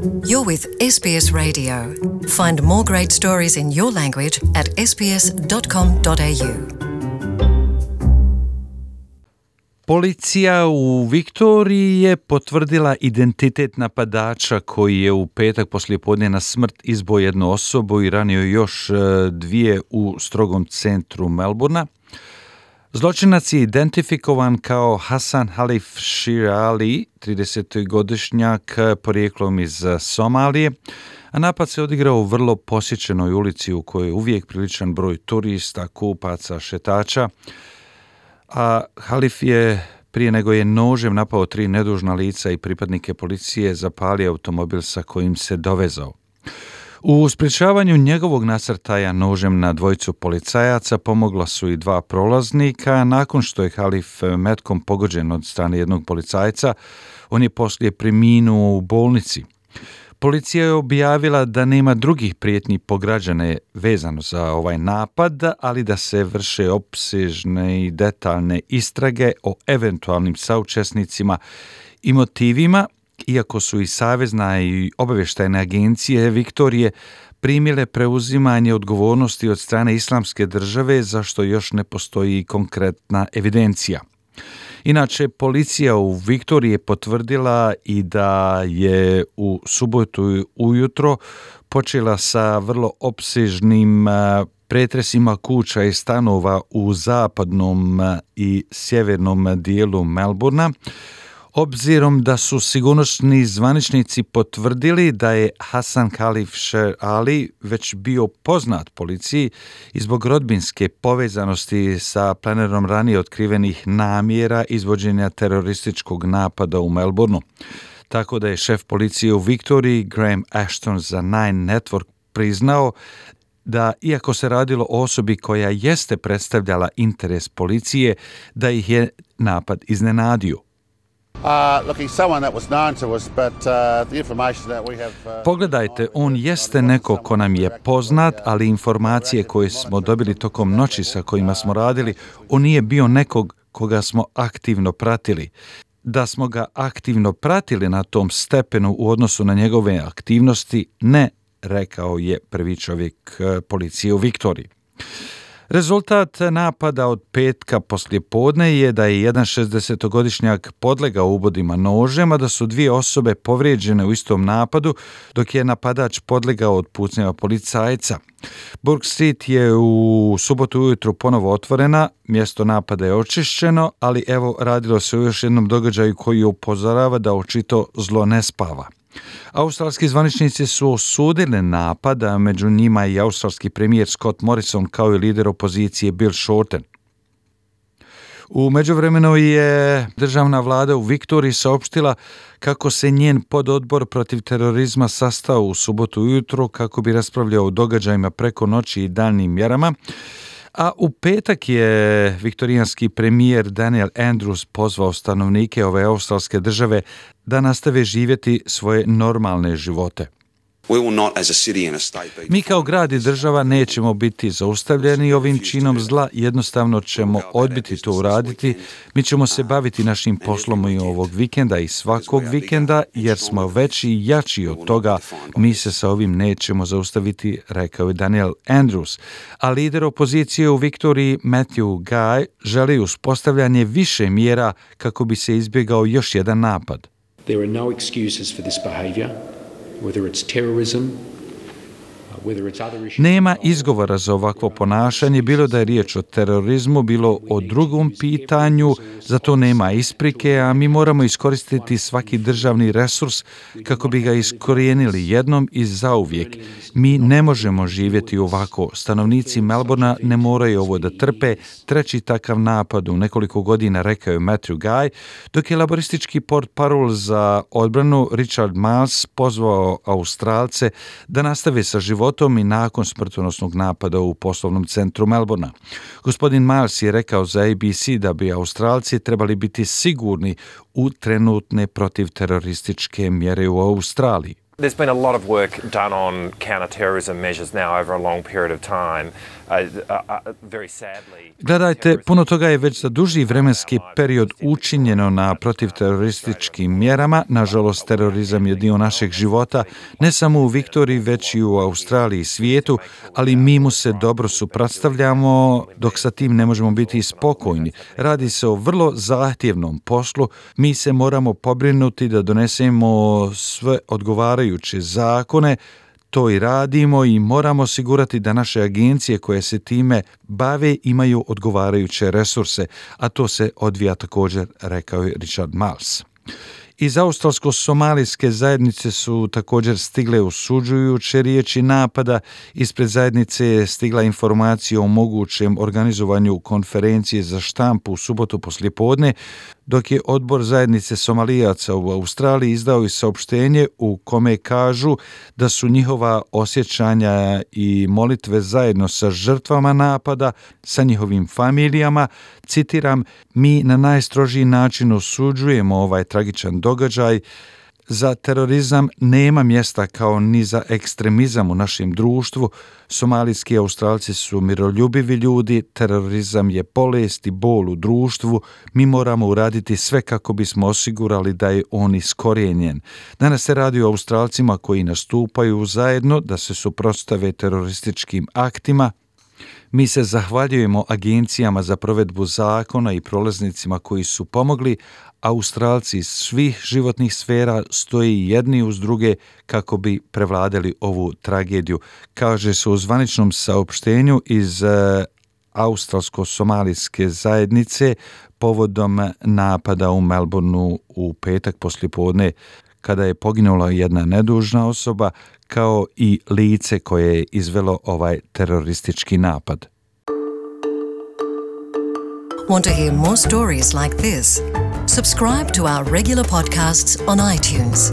You're with SBS Radio. Find more great stories in your language at sbs.com.au. Policija u Viktoriji je potvrdila identitet napadača koji je u petak poslijepodne na smrt izbio jednu osobu i ranio još dvije u strogom centru Melbourna. Zločinac je identifikovan kao Hassan Khalif Shir Ali, 30-godišnjak porijeklom iz Somalije, a napad se odigrao u vrlo posjećenoj ulici u kojoj je uvijek priličan broj turista, kupaca, šetača, a Khalif je prije nego je nožem napao 3 nedužna lica i pripadnike policije zapalio automobil sa kojim se dovezao. U sprječavanju njegovog nasrtaja nožem na dvojicu policajaca pomogla su i 2 prolaznika. Nakon što je Khalif metkom pogođen od strane jednog policajca, on je poslije preminuo u bolnici. Policija je objavila da nema drugih prijetnji po građane vezano za ovaj napad, ali da se vrše opsežne i detaljne istrage o eventualnim saučesnicima i motivima, iako su i savezna i obavještajne agencije Viktorije primile preuzimanje odgovornosti od strane Islamske države, za što još ne postoji konkretna evidencija. Inače, policija u Viktoriji je potvrdila i da je u subotu ujutro počela sa vrlo opsežnim pretresima kuća i stanova u zapadnom i sjevernom dijelu Melbourna, obzirom da su sigurnosni zvaničnici potvrdili da je Hassan Khalif Shir Ali već bio poznat policiji i zbog rodbinske povezanosti sa planiranom ranije otkrivenih namjera izvođenja terorističkog napada u Melbourneu. Tako da je šef policije u Viktoriji Graham Ashton za Nine Network priznao da, iako se radilo o osobi koja jeste predstavljala interes policije, da ih je napad iznenadio. Pogledajte, on jeste neko ko nam je poznat, ali informacije koje smo dobili tokom noći sa kojima smo radili, on nije bio nekog koga smo aktivno pratili. Da smo ga aktivno pratili na tom stepenu u odnosu na njegove aktivnosti, ne, rekao je prvi čovjek policije u Viktoriji. Rezultat napada od petka poslijepodne je da je jedan 60-godišnjak podlegao ubodima nožem, a da su 2 osobe povrijeđene u istom napadu, dok je napadač podlegao od pucnjeva policajca. Bourke Street je u subotu ujutru ponovo otvorena, mjesto napada je očišćeno, ali evo radilo se o još jednom događaju koji upozorava da očito zlo ne spava. Australski zvaničnici su osudili napad, a među njima i australski premijer Scott Morrison kao i lider opozicije Bill Shorten. U međuvremenu je državna vlada u Viktoriji saopštila kako se njen pododbor protiv terorizma sastao u subotu ujutro kako bi raspravljao o događajima preko noći i daljnim mjerama, a u petak je viktorijanski premijer Daniel Andrews pozvao stanovnike ove australske države da nastave živjeti svoje normalne živote. Mi kao grad i država nećemo biti zaustavljeni ovim činom zla, jednostavno ćemo odbiti to uraditi. Mi ćemo se baviti našim poslom i ovog vikenda i svakog vikenda, jer smo veći i jači od toga. Mi se sa ovim nećemo zaustaviti, rekao je Daniel Andrews. A lider opozicije u Viktoriji Matthew Guy želi uspostavljanje više mjera kako bi se izbjegao još jedan napad. There are no excuses for this behavior. Whether it's terrorism, whether it's other issues. Nema izgovora za ovakvo ponašanje, bilo da je riječ o terorizmu, bilo o drugom pitanju, za to nema isprike, a mi moramo iskoristiti svaki državni resurs kako bi ga iskorijenili jednom i zauvijek. Mi ne možemo živjeti ovako. Stanovnici Melbourna ne moraju ovo da trpe. 3. takav napad u nekoliko godina, rekao je Matthew Guy, dok je laboristički portparol za odbranu Richard Marles pozvao Australce da nastave sa životom i nakon smrtonosnog napada u poslovnom centru Melbourna. Gospodin Marles je rekao za ABC da bi Australci trebali biti sigurni u trenutne protivterorističke mjere u Australiji. There's been a lot of work done on counter-terrorism measures now over a long period of time. Very sadly. Gledajte, puno toga je već za duži vremenski period učinjeno na protivterorističkim mjerama. Nažalost, terorizam je dio našeg života, ne samo u Viktoriji, već i u Australiji i svijetu, ali mi mu se dobro suprotstavljamo, dok sa tim ne možemo biti spokojni. Radi se o vrlo zahtjevnom poslu. Mi se moramo pobrinuti da donesemo sve odgovarajuće zakone. To i radimo i moramo osigurati da naše agencije koje se time bave imaju odgovarajuće resurse, a to se odvija također, rekao je Richard Marles. Iz australsko-somalijske zajednice su također stigle osuđujuće riječi napada. Ispred zajednice je stigla informacija o mogućem organizovanju konferencije za štampu u subotu poslijepodne, dok je odbor zajednice Somalijaca u Australiji izdao i saopštenje u kome kažu da su njihova osjećanja i molitve zajedno sa žrtvama napada, sa njihovim familijama. Citiram, mi na najstrožiji način osuđujemo ovaj tragičan događaj. Za terorizam nema mjesta kao ni za ekstremizam u našem društvu. Somalijski Australci su miroljubivi ljudi, terorizam je bolest i bol u društvu. Mi moramo uraditi sve kako bismo osigurali da je on iskorijenjen. Danas se radi o Australcima koji nastupaju zajedno da se suprotstave terorističkim aktima. Mi se zahvaljujemo agencijama za provedbu zakona i prolaznicima koji su pomogli. Australci iz svih životnih sfera stoji jedni uz druge kako bi prevladali ovu tragediju, kaže se u zvaničnom saopštenju iz australsko-somalijske zajednice povodom napada u Melbourneu u petak poslijepodne, kada je poginula jedna nedužna osoba, kao i lice koje je izvelo ovaj teroristički napad. Want to hear more stories like this? Subscribe to our regular podcasts on iTunes.